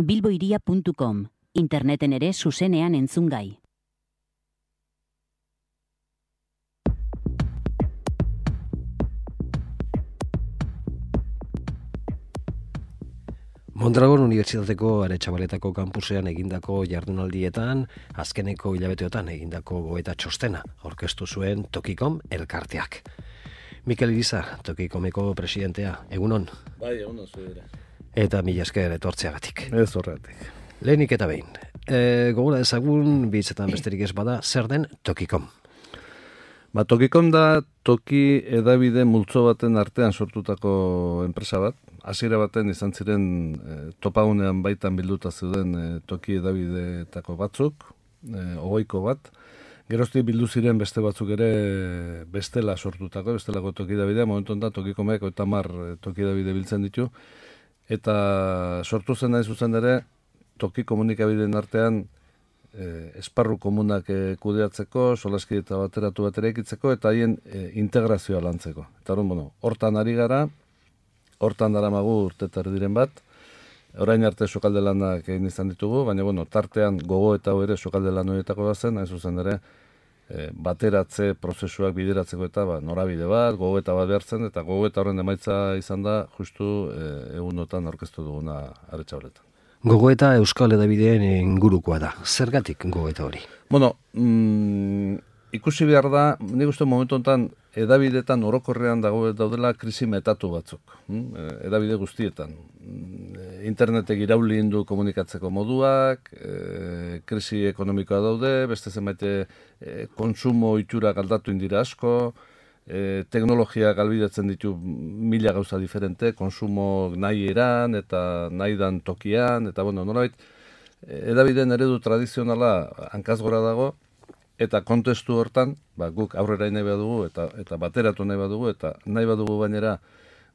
bilboiria.com, interneten ere zuzenean entzungai. Mondragon Unibertsitateko Aretxabaletako kampusean egindako jardunaldietan, azkeneko hilabeteotan egindako gogoeta txostena aurkeztu zuen Tokikom elkarteak. Mikel Irizar, Tokikomeko presidentea, egunon? Bai, egunon zuera. Eta mila esker etortzeagatik. Ez horretik. Lehenik eta behin, gogora ezagun, bitzetan besterik ez bada, zer den Tokikom? Tokikom da toki edabide multzo baten artean sortutako enpresa bat. Hasiera baten izan ziren topagunean baitan bilduta zeuden toki edabideetako batzuk, 20 bat. Geroztik bildu ziren beste batzuk ere bestelako toki edabidea. Momentu honetan Tokikomek 30 toki edabide biltzen ditu. Eta sortu zen nahi zuzen ere toki komunikabideen artean esparru komunak kudeatzeko, solaski eta bateratu bat eraikitzeko, eta haien integrazioa lantzeko. Eta hortan ari gara, hortan daramagu urtetar diren bat, orain arte sukalde lanak egin izan ditugu, baina tartean gogo eta ere sukalde lan horietako da zen, hain zuzen ere, bateratze prozesuak bideratzeko eta norabide bat, gogo eta bat behartzen, eta gogo eta horren emaitza izan da, justu egunotan aurkeztu duguna Aretxabaletan. Gogoeta Euskal Hedabideen ingurukoa da. Zergatik gogoeta hori? Ikusi behar da, nik uste momentu honetan edabideetan orokorrean daudela krisi metatu batzuk. Edabide guztietan. Internetek irauli indu komunikatzeko moduak, krisi ekonomikoa daude, beste zenbait kontsumo itxurak aldatu indira asko, teknologiak galbidetzen ditu mila gauza diferente, konsumo nahi eran eta nahi dan tokian, eta nolabait, edabideen eredu tradizionala hankaz gora dago, eta kontestu hortan, guk aurrera nahi badugu, eta bateratu nahi badugu, eta nahi badugu bainera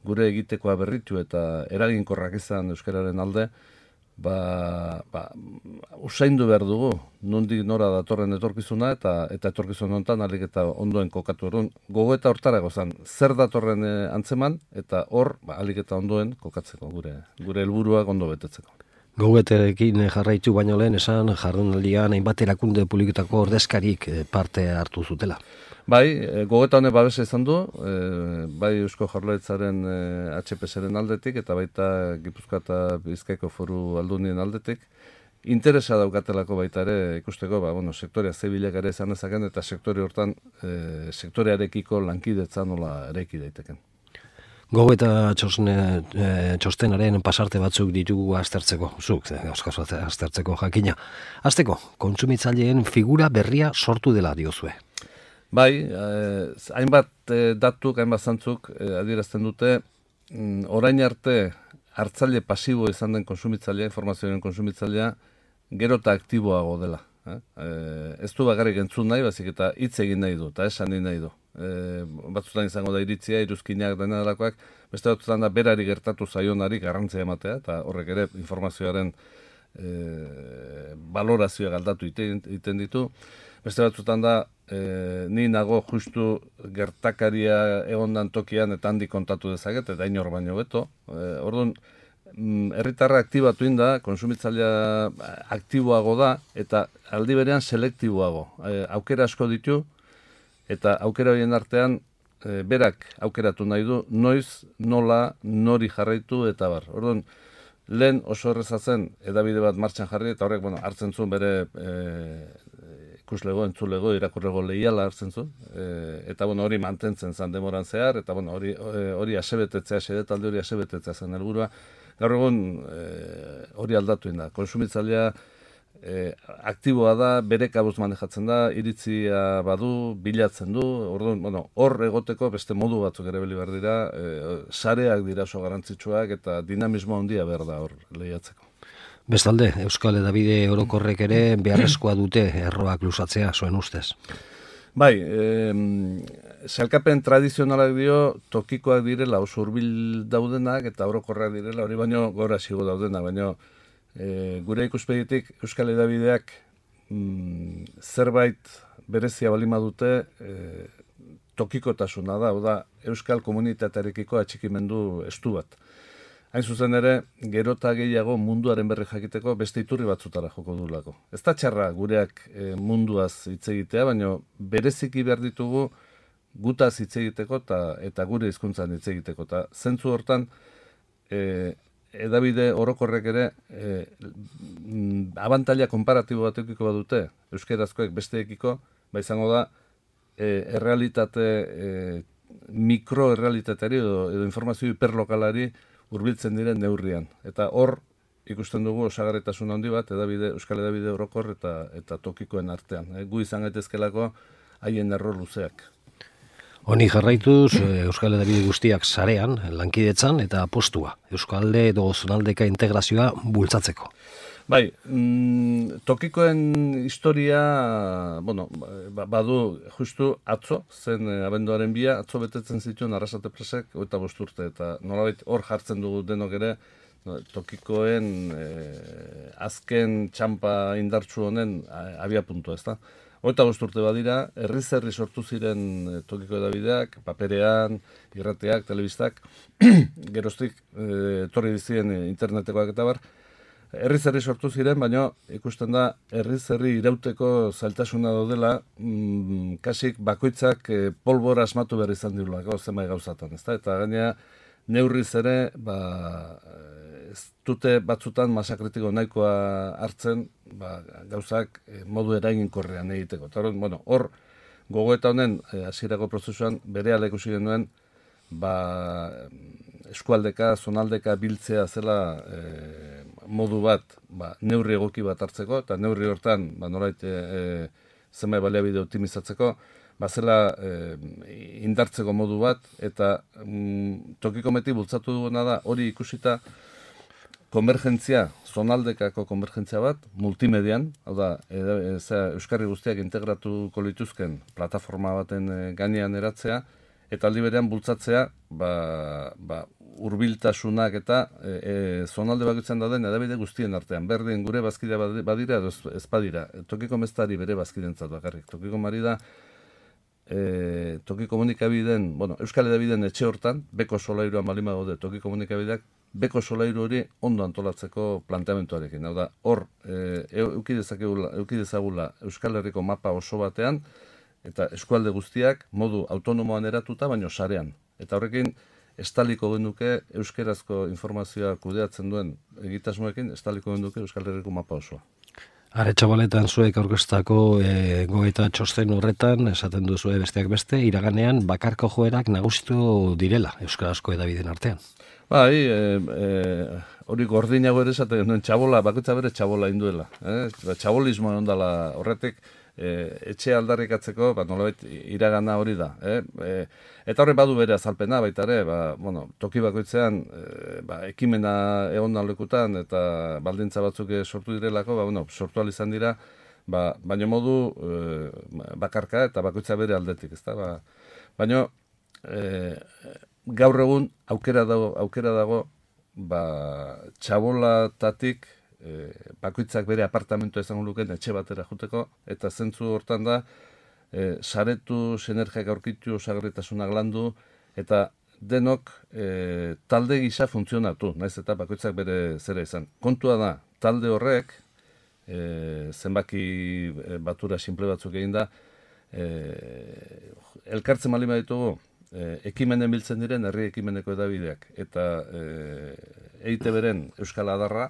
gure egitekoa berritu eta eraginkorrak izan euskararen alde, usaindu behar dugu, nondik nora datorren etorkizuna, eta etorkizun honetan alik eta ondoen kokatu erun. Gogoeta hortarago zen, zer datorren antzeman, eta hor alik eta ondoen kokatzeko, gure helburuak ondo betetzeko. Gogoeterekin jarraitu baino lehen esan jardunaldian hainbat erakunde publikotako ordezkarik parte hartu zutela. Bai, gogoeta honek babesa izan du, bai Eusko Jaurlaritzaren HPS-ren aldetik, eta baita Gipuzkoa eta Bizkaiko Foru Aldundien aldetik. Interesa daukatelako baita ere ikusteko, sektorea zebilak ere izan ezaken, eta sektore hortan, sektorearekiko lankidetza nola eraiki daiteken. Gogoeta txostenaren pasarte batzuk ditugu aztertzeko, aztertzeko jakina. Azteko, kontsumitzaileen figura berria sortu dela diozue. Bai, hainbat datuk, hainbat zantzuk adierazten dute, orain arte hartzaile pasibo izan den konsumitzailea, informazioaren konsumitzailea, gero eta aktiboago dela. Ez du bakarrik entzun nahi, bazik eta hitz egin nahi du, eta esan nahi du. Batzutan izango da iritzia, iruzkinak dena delakoak, beste batzutan da berari gertatu zaionari garrantzia ematea, eta horrek ere informazioaren balorazioa galdatu egiten ditu. Beste batzutan da, ni nago justu gertakaria egondan tokian eta handi kontatu dezaket, eta inor baino beto. Orduan, herritarra aktibatu inda, konsumitzailea aktiboago da, eta aldi berean selektiboago. Aukera asko ditu, eta aukera horien artean, berak aukeratu nahi du, noiz, nola, nori jarraitu, eta bar. Orduan, lehen oso erreza zen edabide bat martxan jarri, eta horrek hartzen zuen bere ikuslego, entzulego, irakurrego lehiala hartzen zuen, eta hori mantentzen zen demoran zehar, eta hori asebetetzea, sedetalde hori asebetetzea zen helburua. Gaur egun hori aldatu da. Konsumitzailea aktiboa da, bere kabuz manejatzen da, iritzia badu, bilatzen du, orduan, hor egoteko beste modu batzuk ere behar dira, sareak dira oso garrantzitsuak eta dinamismo handia behar da hor lehiatzeko. Bestalde, Euskal Hedabide orokorrek ere beharrezkoa dute erroak luzatzea, zuen ustez. Bai, sailkapen tradizionalak dio tokikoak direla oso hurbil daudenak eta orokorrak direla, hori baino gora zigo daudenak, baino gure ikuspegitik Euskal Hedabideak zerbait berezia balima dute tokikotasuna da, Euskal komunitatearekiko atxikimendu estu bat. hain zuzen ere, gero eta gehiago munduaren berri jakiteko beste iturri batzutara joko dulako. Ez da txarra gureak munduaz hitz egitea, baina bereziki behar ditugu gutaz hitz egiteko eta gure hizkuntzan hitz egiteko. Eta zentzu hortan, edabide orokorrek ere abantaila konparatibo bat eukiko badute, euskerazkoek besteekiko, izango da, errealitate, mikroerrealitateari edo informazio hiperlokalari hurbiltzen diren neurrian. Eta hor ikusten dugu osagarritasun handi bat euskal edabide orokor eta tokikoen artean. Gu izan gaitezkelako haien error luzeak. Honi jarraituz, Euskal Hedabide guztiak sarean, lankidetzan eta apostua, Euskalde edo zonaldeka integrazioa bultzatzeko. Bai, tokikoen historia, badu justu atzo, zen abenduaren 2, atzo betetzen zituen Arrasate Presek 25 urte, eta nolabait hor jartzen dugu denok ere, tokikoen azken txampa indartsu honen abiapuntua, ezta? 25 urte badira, herri sortu ziren tokiko edabideak, paperean, irrateak, telebistak, geroztik etorri dizien internetekoak eta bar, herri sortu ziren, baina ikusten da herri irauteko zailtasuna daudela, kasik bakoitzak polbora asmatu behar izan dirulako zenbait gauzatan, ezta? Eta gainea neurriz ere, ez dute batzutan masakritiko nahikoa hartzen, gauzak modu eraginkorrean egiteko. Eta hor, gogoeta honen hasierako prozesuan berehala ikusi genuen, eskualdeka, zonaldeka biltzea zela modu bat, neurri egoki bat hartzeko, eta neurri hortan, nolait zenbait baliabide optimizatzeko, zela indartzeko modu bat, eta tokiko meti bultzatu duguna da, hori ikusita, konvergentzia, zonaldekako konvergentzia bat, multimedian, hau da, euskarri guztiak integratuko lituzken plataforma baten gainean eratzea, eta aldi berean bultzatzea, hurbiltasunak eta zonalde bakoitzan dauden edabide guztien artean. Berdin gure bazkidea badira edo ez badira. Tokiko meztari bere bazkidentzat bakarrik. Tokiko mari da, toki komunikabideen, Euskal Hedabideen etxe hortan, beko solairuan balima gaude toki komunikabideak, beko solairu hori ondo antolatzeko planteamentuarekin. Hau da, hor, euki dezagula Euskal Herriko mapa oso batean, eta eskualde guztiak modu autonomoan eratuta, baino sarean. Eta horrekin, estaliko genuke euskerazko informazioa kudeatzen duen egitasmoekin, estaliko genuke Euskal Herriko mapa osoa. Aretxabaletan zuek aurkeztako goeta txosten horretan, esaten duzue besteak beste, iraganean bakarko joerak nagusitu direla euskarazko edabideen artean. Bai, hori gordinago ere esaten genuen txabola, bakoitza bere txabola induela. Txabolismoa ondala horretik, etxe aldarrikatzeko, nolabait iragana hori da. Eta horre badu bere azalpena baita ere, toki bakoitzean ekimena egon lekutan eta baldintza batzuk sortu direlako, sortu ahal izan dira, baina modu bakarka eta bakoitza bere aldetik, ezta? Baina gaur egun aukera dago txabolatatik bakoitzak bere apartamentua izango lukeen etxe batera juteko, eta zentzu hortan da, saretu, sinergiak aurkitu, osagarritasunak landu, eta denok talde gisa funtzionatu, naiz eta bakoitzak bere zera izan. Kontua da, talde horrek, zenbaki batura simple batzuk egin da, elkartzen malima ditugu, ekimenen biltzen diren herri ekimeneko edabideak, eta EITB-ren Euskal Adarra,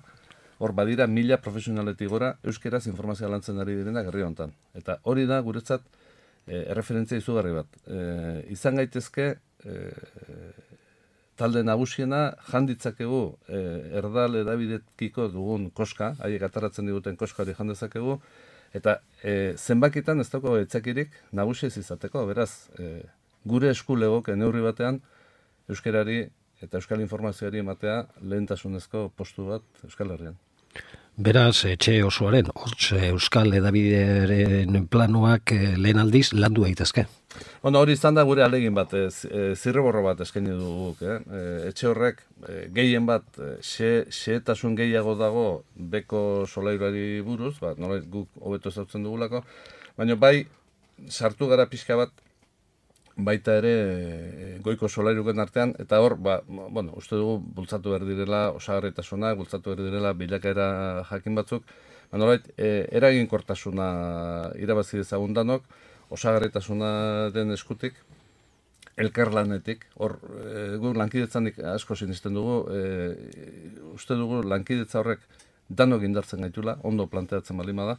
hor badira 1000 profesionaletik gora euskeraz informazioa lantzen ari direnak herri honetan. Eta hori da guretzat erreferentzia izugarri bat. Izan gaitezke talde nagusiena janditzakegu erdal edabidekiko dugun koska, haiek ataratzen diguten koska hori jandezakegu, eta zenbakitan ez dago etzakirik nagusi ez izateko, beraz, gure esku legoke neurri batean euskerari eta euskal informazioari ematea lehentasunezko postu bat Euskal Herrian. Beraz, etxe osoaren, euskal edabideren planuak lehen aldiz landu daitezke. Hori izan da gure alegin bat, zirriborro bat eskaini duguk. Etxe horrek gehien bat, xehetasun gehiago dago beko solairuari buruz, nolait guk hobeto ezautzen dugulako, baina bai sartu gara pixka bat baita ere goiko solairuken artean, eta hor, uste dugu bultzatu behar direla osagarritasunak, bultzatu behar direla bilakaera jakin batzuk, eraginkortasuna irabazi dezagun danok, osagarritasunaren eskutik, elkarlanetik, hor, gu lankidetzanik asko sinisten dugu, uste dugu lankidetza horrek danok indartzen gaitula, ondo planteatzen baldin bada,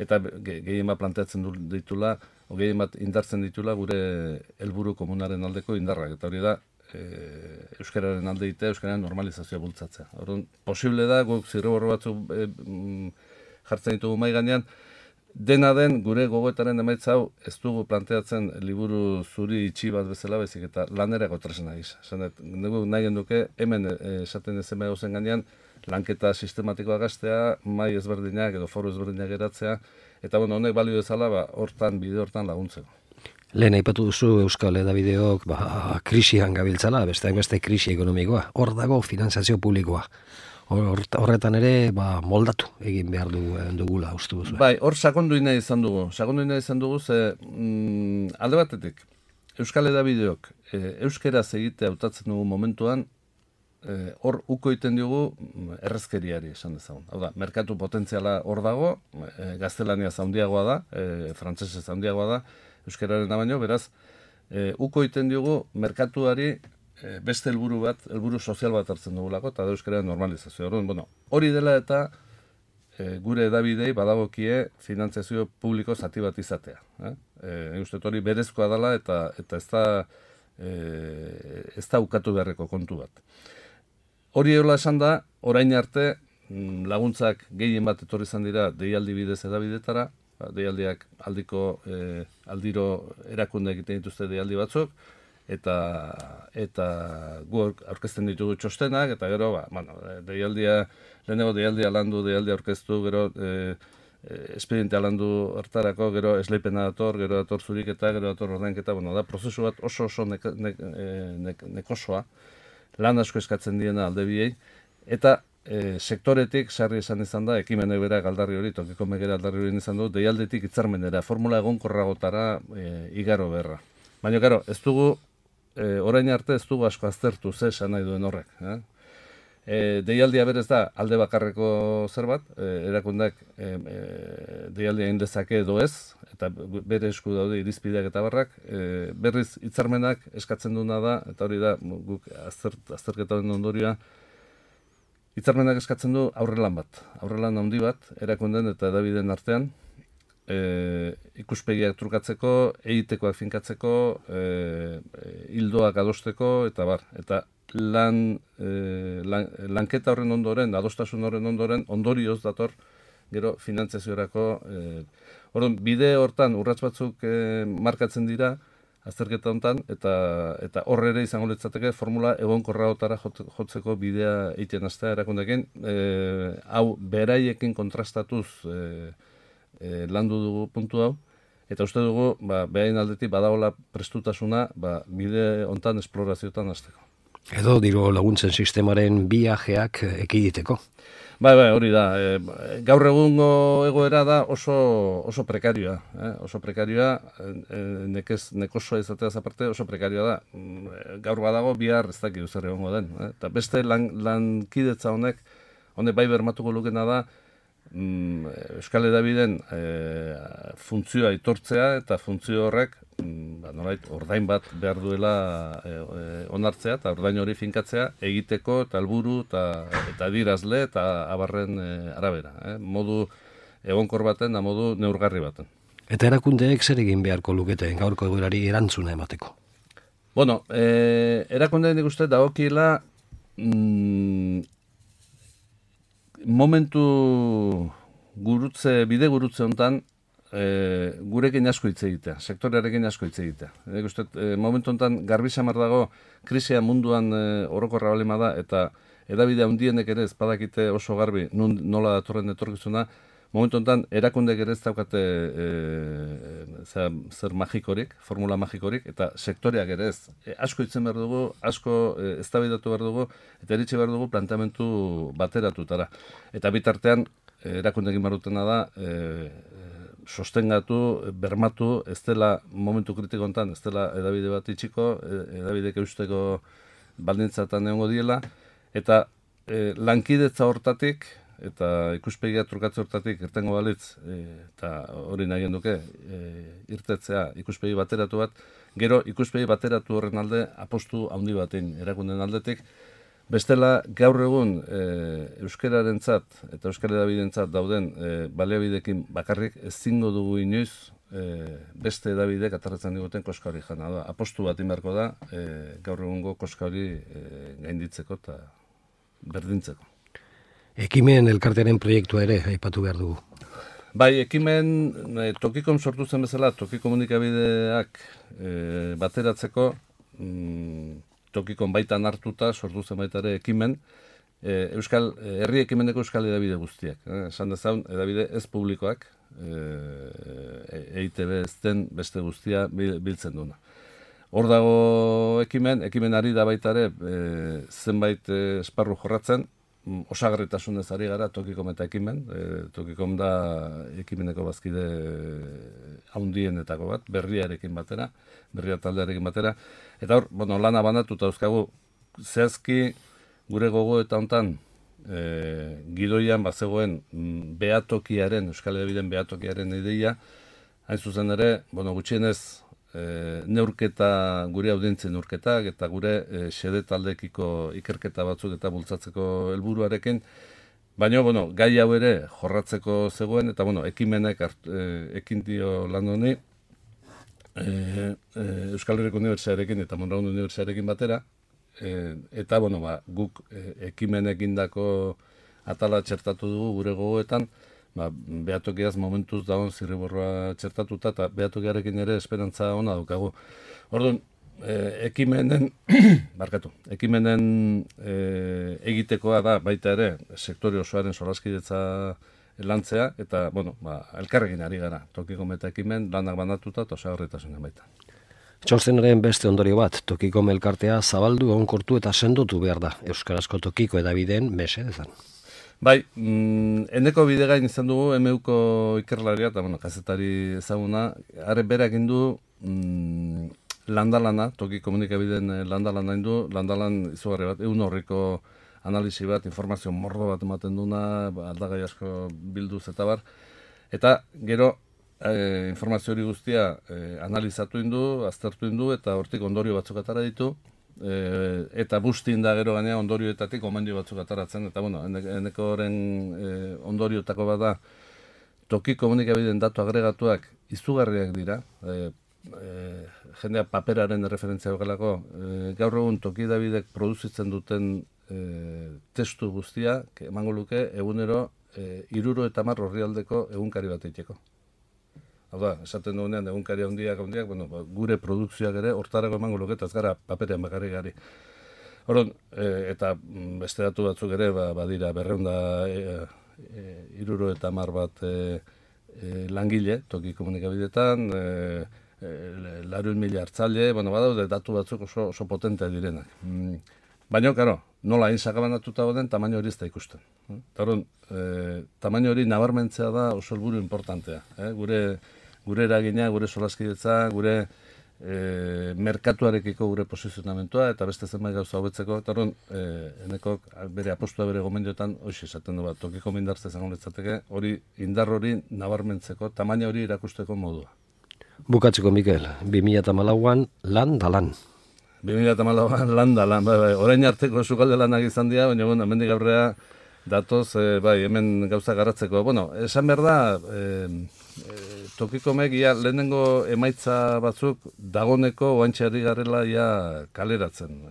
eta gehien bat planteatzen ditula, gehien bat indartzen ditula gure helburu komunaren aldeko indarrak, eta hori da, euskararen alde egitea, euskararen normalizazioa bultzatzea. Orduan, posible da, guk zirriborro batzuk jartzen ditugu mahai gainean, dena den gure gogoetaren emaitza hau ez dugu planteatzen liburu zuri itxi bat bezala bezik eta lanerako tresna gisa. Dugu nahi genduke hemen esaten ez ema gauzen gainean lanketa sistematikoa gaztea, mahai ezberdinak edo foru ezberdinak geratzea, eta honek balio dezala hortan, bide hortan laguntzeko. Lehen aipatu duzu Euskal Hedabideok krisian gabiltzala, beste krisi ekonomikoa. Hor dago finantzazio publikoa. Horretan ere moldatu egin behar dugula uste duzu. Bai, hor sakondu nahi izan dugu. Sakondu nahi izan dugu ze alde batetik Euskal Hedabideok euskeraz egitea hautatzen dugu momentuan hor uko egiten diogu errezkeriari esan dezagun. Hau da, merkatu potentziala hor dago, gaztelania zaundiagoa da, frantsesez zaundiagoa da, euskararen baino, beraz, uko egiten diogu merkatuari beste helburu sozial bat hartzen dugulako, eta da euskararen normalizazioa. Hori dela eta gure hedabidei badagokie finantzazio publiko zati bat izatea. Uste hori berezkoa dela eta ez da ukatu beharreko kontu bat. Hori egola esan da, orain arte laguntzak gehien bat etorri izan dira deialdi bidez hedabidetara, deialdiak aldiro erakunde egiten dituzte deialdi batzuk, eta gu aurkezten ditugu txostenak, eta gero, lehenengo deialdia landu, deialdia aurkeztu, gero espedientea landu hartarako, gero esleipena dator, gero dator zuriketa, gero dator ordainketa, da prozesu bat oso nekosoa, lan asko eskatzen diena alde biei, eta sektoretik sarri esan izan da, ekimenek berak aldarri hori, tokiko megera aldarri hori izan du, deialdetik hitzarmenera, formula egonkorragotara igaro beharra. Baina, karo, ez dugu, orain arte ez dugu asko aztertu ze esan nahi duen horrek. Deialdia berez da alde bakarreko zerbait, erakundak deialdia indezake edo ez, eta bere esku daude irizpideak eta barrak, berriz hitzarmenak eskatzen duena da, eta hori da guk azterketaren ondorioa, hitzarmenak eskatzen du aurrelan handi bat, erakunden eta hedabideen artean, ikuspegiak trukatzeko, egitekoak finkatzeko, hildoak adosteko, eta bar. Eta lanketa horren ondoren, adostasun horren ondoren, ondorioz dator, gero finantziaziorako. Bide hortan urrats batzuk markatzen dira, azterketa hontan, eta horre ere izango litzateke formula egonkorragotara jotzeko bidea egiten hastea erakundekin, hau beraiekin kontrastatuz landu dugu puntu hau, eta uste dugu, behain aldetik badagoela prestutasuna, bide hontan esplorazioetan hasteko. Edo diru laguntzen sistemaren viajeak ekiditeko. Bai, hori da. Gaur egungo egoera da oso prekarioa. Oso prekarioa, nekosoa izateaz aparte, oso prekarioa da. Gaur badago, bihar ez dakit zer egongo den. Eta beste lankidetza honek bai bermatuko lukena da, Euskal Hedabideen funtzioa aitortzea eta funtzio horrek ordain bat behar duela onartzea eta ordain hori finkatzea egiteko eta helburu eta adierazle eta abarren arabera. Modu egonkor baten da modu neurgarri baten. Eta erakundeek zer egin beharko lukete gaurko egoerari erantzuna emateko? Erakundeen ikuste dagokiela momentu bide gurutze honetan gurekin asko hitz egitea, sektorearekin asko hitz egitea. Momentu honetan garbi samar dago krisia munduan orokorra balima da eta hedabide handienek ere ez badakite oso garbi nola datorren etorkizuna. Momentu honetan erakundek ere ez daukate zer magikorik, formula magikorik, eta sektoreak ere ez. Asko hitzen behar dugu, asko eztabaidatu behar dugu, eta eritxe behar dugu planteamendu bateratutara. Eta bitartean erakundekin behar dutena da sostengatu, bermatu, ez dela momentu kritiko honetan, ez dela edabide bat itxiko, edabidek eusteko baldintzatan egongo diela, eta lankidetza hortatik, eta ikuspegia trukatze hortatik irtengo balitz, eta hori nahi duke, irtetzea ikuspegi bateratu bat, gero ikuspegi bateratu horren alde apostu handi batein erakunden aldetik, bestela gaur egun euskararentzat eta euskal edabidentzat dauden baliabidekin bakarrik ezingo dugu inoiz beste edabidek atarratzen diguten koska hori jana da. Apostu bat inberko da gaur egungo koska hori gainditzeko eta berdintzeko. Ekimen elkartearen proiektua ere aipatu behar dugu. Bai, ekimen Tokikom sortu zen bezala, toki komunikabideak bateratzeko Tokikon baitan hartuta sortu zen baita ere ekimen, herri ekimeneko euskal edabide guztiak. Esan dezaun, edabide ez publikoak, EITB ez den beste guztia biltzen duna. Hor dago ekimenari da baita ere zenbait esparru jorratzen, osagarritasunez ari gara Tokikom eta ekimen, Tokikom da ekimeneko bazkide haundienetako bat, berriarekin batera, berria taldearekin batera, eta hor, lana banatuta dauzkagu, zehazki gure gogo eta hontan gidoian bazegoen behatokiaren, Euskal Edabideen behatokiaren ideia, hain zuzen ere, gutxienez, neurketa, gure audientzien neurketak eta gure xede taldekiko ikerketa batzuk eta bultzatzeko helburuarekin, baina, gai hau ere jorratzeko zegoen, eta, ekimenek ekin dio lan honi, Euskal Herriko Unibertsitatearekin eta Mondragon Unibertsitatearekin batera, eta, guk ekimenek indako atala txertatu dugu gure gogoetan, behatokiaz momentuz dagoen zirriborroa txertatuta, eta behatokiarekin ere esperantza ona daukagu. Orduan, ekimenen egitekoa da baita ere sektore osoaren solaskidetza lantzea, eta, elkarrekin ari gara, Tokikom eta ekimen lanak banatuta eta osagarritasunen baita. Txostenaren beste ondorio bat, Tokikom elkartea zabaldu, egonkortu eta sendotu behar da, euskarazko tokiko edabideen mesedezan. Bai, eneko bidegain izan dugu MUko ikerlaria eta kazetari ezaguna, are berak indu landalana, toki komunikabideen landalana indu, landalan izugarri bat, horriko analisi bat, informazio mordo bat ematen duna, aldagai asko bilduz eta bar, eta gero informazio hori guztia analizatu indu, aztertu indu, eta hortik ondorio batzuk atara ditu, eta bustin da gero gainea ondorioetatik omendio batzuk ataratzen, eta eneko horren ondorioetako bat da, toki komunikabideen datu agregatuak izugarriak dira, jendea paperaren referentzia hogelako, gaur egun toki edabidek produzitzen duten testu guztia, emango luke egunero 70 orrialdeko egunkari bat eiteko. Hau da, esaten dugunean egunkari handiak, gure produkzioak ere hortarako emango luke, eta ez gara paperean bakarrik gari. Horon, eta beste datu batzuk ere, badira 270 bat langile, toki komunikabidetan, 100.000 hartzaile, badaude datu batzuk oso potentea direnak. Baina, nola hain sakabanatuta den, tamaino hori ez da ikusten. Horon, tamaino hori nabarmentzea da oso helburu importantea. Gure eragina, gure solaskidetza, gure merkatuarekiko gure posizionamentua, eta beste zenbait gauza hobetzeko, eta horren, enekok bere apostua bere gomendiotan, hoxe esaten du bat, tokiko mindartze zango litzateke, hori indar hori nabarmentzeko, tamaina hori erakusteko modua. Bukatzeko, Mikel, 2014an lan da lan. 2014an lan da lan, orain arteko sukalde lanak izan dira, baina, hemendik aurrea datoz, hemen gauza garatzeko. Esan behar da, Tokikomek lehenengo emaitza batzuk dagoneko oantxeari garela kaleratzen.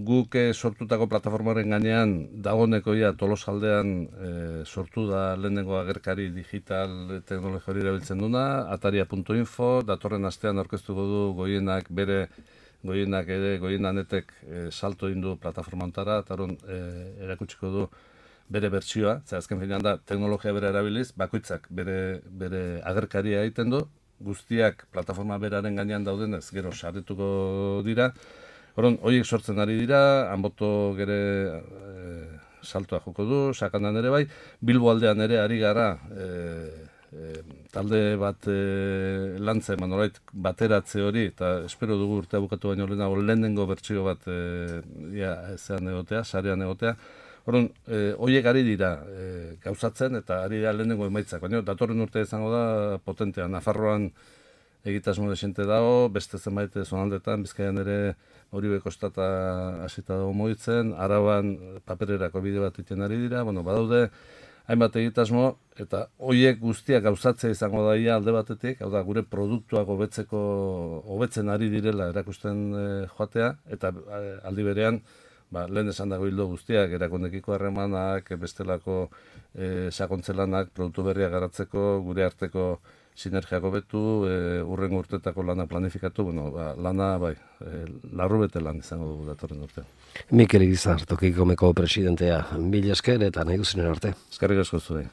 Guk sortutako plataformaren gainean dagoneko Tolosaldean sortu da lehenengo agerkari digital teknologia hori erabiltzen duna, ataria.info, datorren astean aurkeztuko du goienak goienanetek salto indu plataforma ontara, eta erakutsiko du bere bertsioa, azken finean da teknologia bere erabiliz, bakoitzak bere agerkaria egiten du, guztiak plataforma beraren gainean daudenez, gero saretuko dira. Horiek sortzen ari dira, Anboto gere saltoa joko du, Sakandan ere bai, Bilbo aldean ere ari gara, talde bat lantzen, nolait bateratze hori, eta espero dugu urtea bukatu baino lehenengo bertsio bat zean egotea, sarean egotea. Horren, horiek ari dira gauzatzen eta ari dira lehenengo emaitzak, baina datorren urtea izango da potentea. Nafarroan egitasmo desente dago, beste zenbait zonaldetan, Bizkaian ere Oribe kostata hasita dago mugitzen, Araban papererako bide bat egiten ari dira, badaude hainbat egitasmo, eta horiek guztiak gauzatzea izango da alde batetik, hau da, gure produktuak hobetzen ari direla erakusten joatea, eta aldi berean, lehen esan dago hildo guztiak, erakundekiko harremanak, bestelako sakontzelanak, produktu berriak garatzeko, gure arteko sinergiak hobetu, urrengo urtetako lana planifikatu, lana larru bete lan izango dugu datorren urtean. Mikel Irizar, Tokikomeko presidentea, mila esker eta nahi duzinen arte. Eskerrik asko zuei.